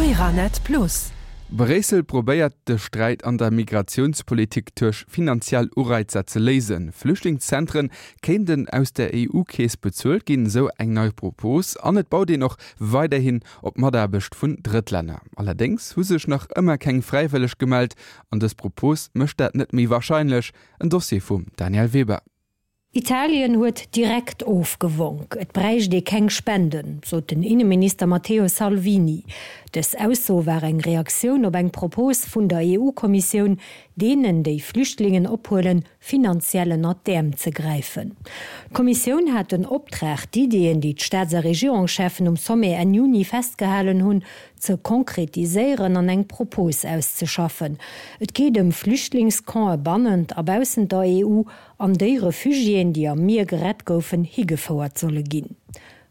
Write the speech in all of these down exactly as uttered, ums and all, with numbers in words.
Claranet Plus. Bréissel probéiert de Sträit an der Migratiounspolitik duerch finanziell Ureizer ze léisen. Flüchtlingszentren kéinten aus der E U-Keess bezuelt ginn, sou eng nei Propos, an et baut een och weiderhin op Mataarbecht vun Drëttlänner. Allerdéngs hu sech nach ëmmer keng Fräiwëlleg gemellt an dës Propos mécht dat net méi warscheinlech. En Dossier vum Danièle Weber. Italien huet direkt ofgewonk. Et bräicht ee keng Spenden, sot den Inneminister Matteo Salvini. Dës Ausso war eng Reaktioun op eng Propos vun der E U-Kommissioun, deenen, déi Flüchtlingen ophuelen, finanziell ënnert d'Äerm ze gräifen. D'Kommissioun hat den Optrag, d'Iddien, déi d'Staats a Regierungscheffen um Sommet Enn Juni festgehalen hunn, ze konkretiséieren an eng Propos auszeschaffen. Et geet ëm Flüchtlingscampe bannent a baussent der E U, an déi Refugiéen, déi am Mier gerett goufen, higefouert solle ginn.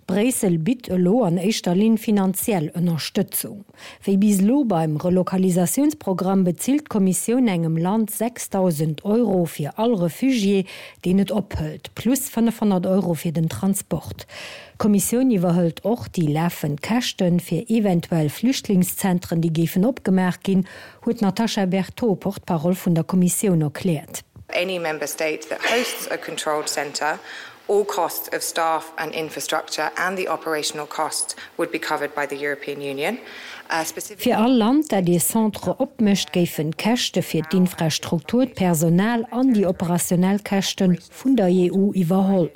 Bréissel bitt elo an éischter Linn finanziell Ënnerstëtzung. Wéi bis elo beim Relokalisatiounsprogramm bezilt d'Kommissioun engem Land sechsdausend Euro fir all Refugié, deen et ophëlt, plus fënnefhonnert Euro fir den Transport. D'Kommissioun iwwerhëlt och déi lafend Käschte fir eventuell Flüchtlingszentren, déi géifen opgemaach ginn, huet d'Natasha Berthaud, Porte-parole vun der Kommissioun, erkläert. Any member state that hosts a controlled centre, all costs of staff and infrastructure and the operational costs would be covered by the European Union. Uh, Fir all Land, dat ee Centre opmécht, géifen d'Käschte fir d'Infrastruktur, d'Personal an déi operationell Käschte vun der E U iwwerholl.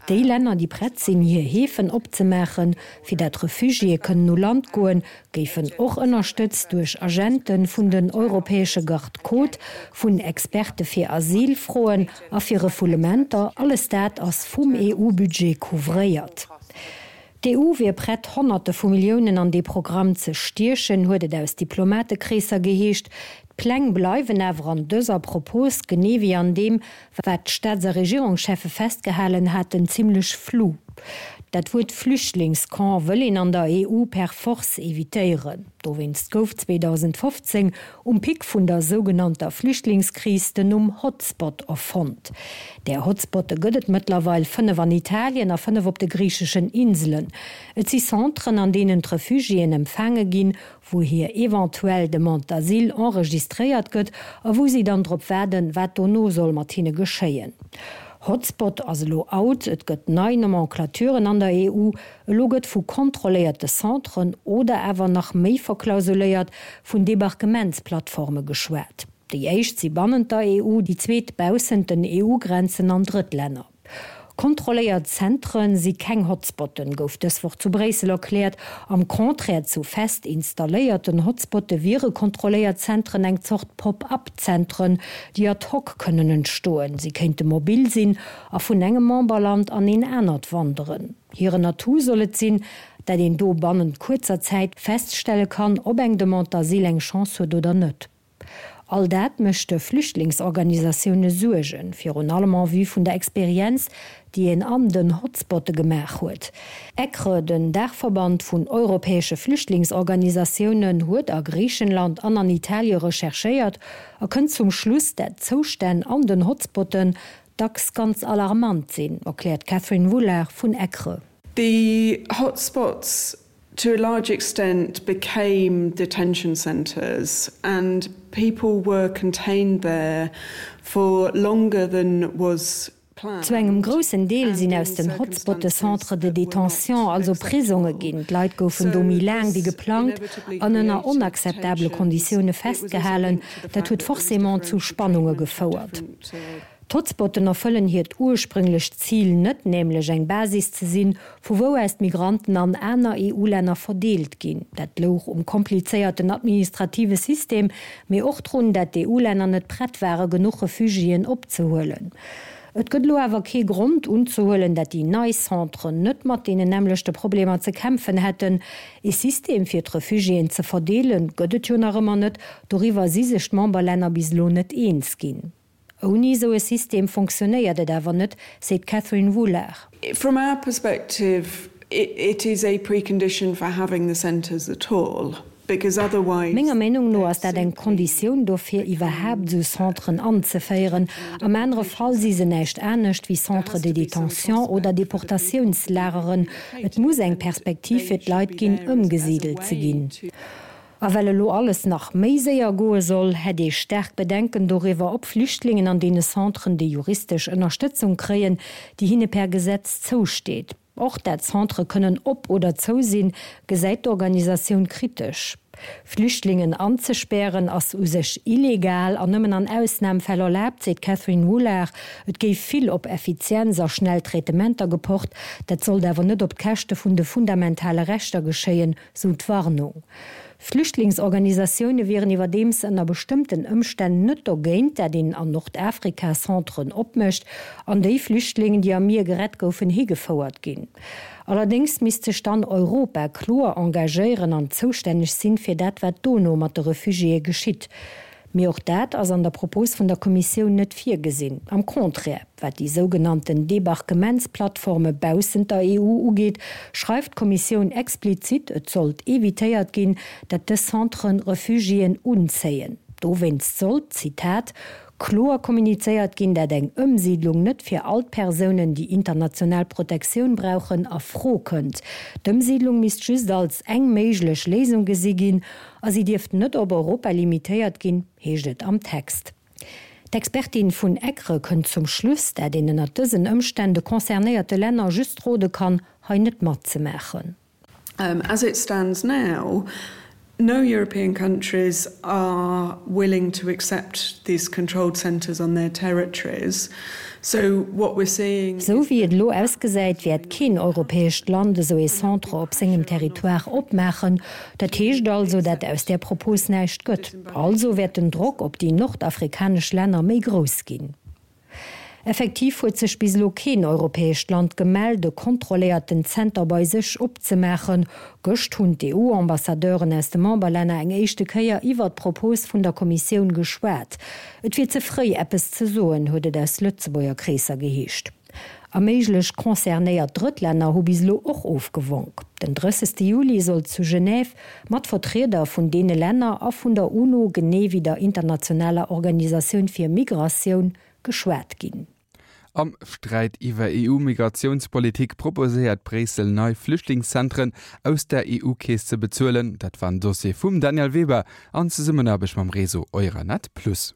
Déi Länner, déi prett sinn, hir Häfen opzemaachen, fir dat Refugiéë kënnen u Land goen, géifen och ënnerstëtzt duerch Agente vun den europäesche Garde-côtes, vun Experte fir Asylfroen a fir Refoulementer. Alles dat ass vum E U-Budget couvréiert. D'E U wier prett, Honnerte vu Milliounen an dee Programm ze stiechen, huet et aus Diplomatekreesser geheescht. D'Pläng bleiwen awer an dëser Propos, genee wéi an deem, wat d'Staats a Regierungscheffe festgehalen haten, zimmlech flou. Dat Wuert Flüchtlingscamp wëll een an der E U per force evitéieren. Dowéinst gouf zweedausendfofzéng um Pic vun der sougenannter Flüchtlingskris den Numm Hotspot erfonnt. Där Hotspotte gëtt et mëttlerweil fënnef an Italien a fënnef op de griicheschen Inselen. Et si Centren, an deenen d'Refugiéen empfaange ginn, wou hir eventuell Demande d'asile enregistréiert gëtt a wou si dann drop waarden, wat dono soll mat hinne geschéien. Hotspot ass elo out, et gëtt nei Nomenclaturen an der E U, elo gëtt vu kontrolléierte Centren oder awer nach méi verklausuléiert vun Debarquementsplattforme geschwat. Déi éischt si bannent der E U, déi zweet baussent den E U-Grenzen an Drëttlänner. Kontrolléiert Zentre si keng Hotspotten, gouf dës Woch zu Bréissel erkläert. Am Contraire zu fest installéierten Hotspotte wiere kontrolléiert Zentren eng Zort Pop-up-Zentren, déi ad hoc kënnen entstoen. Si kéinte mobil sinn a vun engem Memberland an een anert wanderen. Hiren Atout soll et sinn, dat een do bannent kuerzer Zäit feststelle kann, ob eng Demande d'asile eng Chance huet oder net. All dat mécht de Flüchtlingsorganisatioune Suergen, virun allem en vue vun der Experienz, déi een an den Hotspotte gemaach huet. ECRE, den Daachverband vun europäesche Flüchtlingsorganisatiounen, huet a Griichenland an an Italie recherchéiert a kënnt zum Schluss, dat d'Zoustänn an den Hotspotten dacks ganz alarmant sinn, erkläert d'Catherine Wooler vun ECRE. The hotspots to a large extent became detention centres and people were contained there for longer than was Zu engem groussen Deel sinn aus den Hotspotte Centres de détention, also Prisonge ginn. D'Leit goufen do méi laang wéi geplangt an ënner onakzeptabele Konditioune festgehalen. Dat huet forcément zu Spannunge gefouert. D'Hotspotten erfëllen hiert ursprünglecht Zil net, nämlech eng Basis ze sinn, vu wou aus d'Migranten an aner E U-Länner verdeelt ginn. Dat louch um komplizéierten administrative System, mee och drun, dat d'E U-Länner net prett ware genuch Refugiéen opzehuelen. Et gëtt elo awer kee Grond unzehuelen, dat déi nei Centren net mat deenen nämmlechte Problemer ze kämpfen hätten. Ee System fir d'Refugiéen ze verdeelen, gëtt et jo nach ëmmer net, doriwwer si sech d'Memberlänner bis elo net eens ginn. Ouni esou e System fonctionnéiert et awer net, seet d'Catherine Wooler. From our perspective, it, it is a precondition for having the centres at all. Menger Meenung no ass dat eng Konditioun dofir, iwwerhaapt esou Centren anzeféieren. Am anere Fall si se näischt anescht wéi Centres de détention oder Deportatiounslageren. Et muss eng Perspektiv fir d'Leit ginn, ëmgesidelt ze ginn. A well elo alles nach méi séier goe soll, hätt ee staark Bedenken doriwwer, ob Flüchtlingen an deene Centren déi juristesch Ënnerstëtzung kréien, déi hinne per Gesetz zousteet. Och dat Centre kënnen op oder zou sinn, gesäit d'Organisatioun kritesch. Flüchtlingen anzespären ass u sech illegal an nëmmen an Ausnamfäll erlaabt, seet d'Catherine Woollard. Et géif vill op Effizienz a schnell Traitementer gepocht, dat sollt awer net op d'Käschte vun de fundamentale Rechter geschéien, sou d'Warnung. Flüchtlingsorganisatioune wieren iwwerdeems ënner bestëmmten Ëmstänn net dogéint, dat een an Nordafrika Centren opmécht, an déi Flüchtlingen, déi am Mier gerett goufen, higefouert ginn. Allerdéngs misst sech dann Europa kloer engagéieren an zoustänneg sinn, fir dat, wat dono mat de Refugiéë geschitt. Mee och dat ass an der Propos vun der Kommissioun net virgesinn. Am Contraire, wat déi sougenannten Debarquementsplattforme baussent der E U ugeet, schreift d'Kommissioun explizit, et sollt evitéiert ginn, dat dës Centren Refugiéen unzéien. Dowéinst sollt, Zitat, kloer kommunizéiert ginn, dat eng Ëmsiidlung net fir all d'Persounen, déi international Protektioun brauchen, a Fro kënnt. D'Ëmsiidlung misst just als eng méiglech Léisung gesi ginn a si dierft net op Europa limitéiert ginn, heescht et am Text. D'Expertin vun ECRE kënnt zum Schluss, dat een ënnert dësen Ëmstänn de concernéierte Länner just rode kann, hei net matzemaachen. As it stands now, no European countries are willing to accept these controlled centres on their territories. So what we're seeing Sou wéi et elo ausgesäit, wäert keen europäescht Land esou ee Centre op sengem Territoire opmaachen. Dat heescht also, dat aus där Propos näischt gëtt. Also wäert den Drock op déi nordafrikanesch Länner méi grouss ginn. Effektiv huet sech bis elo keen europäescht Land gemellt, e kontrolléierten Zenter bei sech opzemaachen. Gëscht hunn d'E U-Ambassadeuren aus de Memberlänner eng éischte Kéier iwwert d'Propos vun der Kommissioun geschwat. Et wier ze fréi, eppes ze soen, huet et aus Lëtzebuerger Kreesser geheescht. A méiglech concernéiert Drëttlänner hu bis elo och ofgewonk. Den drëssegste Juli soll zu Genève mat Vertrieder vun deene Länner a vun der UNO, genee wéi der internationaler Organisatioun fir Migratioun, geschwat ginn. Am Sträit iwwer E U-Migratiounspolitik proposéiert Bréissel nei Flüchtlingszentren aus der E U-Keess ze bezuelen. Dat war en Dossier vum Daniel Weber an Zesummenaarbecht mam Réseau Euranet Plus.